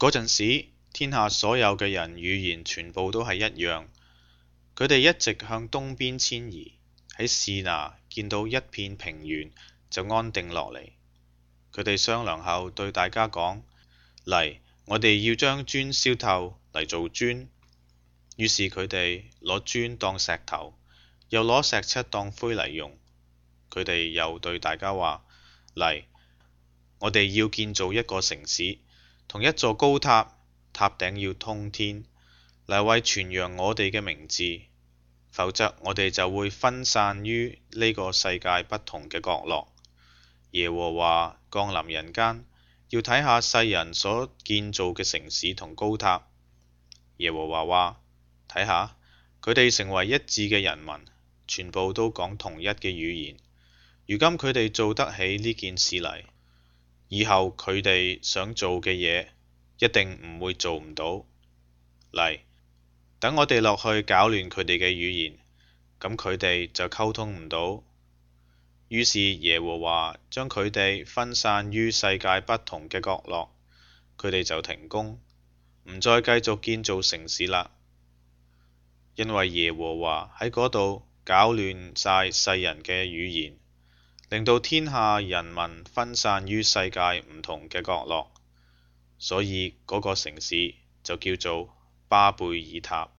嗰陣時，天下所有嘅人語言全部都係一樣。佢哋一直向東邊遷移，喺示拿見到一片平原就安定落嚟。佢哋商量後對大家講：嚟，我哋要將磚燒透嚟做磚。於是佢哋攞磚當石頭，又攞石漆當灰嚟用。佢哋又對大家話：嚟，我哋要建造一個城市，同一座高塔，塔頂要通天，嚟為傳揚我哋嘅名字。否則我哋就會分散於呢個世界不同嘅角落。耶和華降臨人間，要睇下世人所建造嘅城市同高塔。耶和華話：睇下，佢哋成為一致嘅人民，全部都講同一嘅語言。如今佢哋做得起呢件事嚟，以後佢哋想做嘅嘢一定唔會做唔到。嚟，等我哋落去搞亂佢哋嘅語言，咁佢哋就溝通唔到。於是耶和華將佢哋分散於世界不同嘅角落，佢哋就停工，唔再繼續建造城市啦。因為耶和華喺嗰度搞亂晒世人嘅語言，令到天下人民分散於世界唔同嘅角落，所以嗰個城市就叫做巴貝爾塔。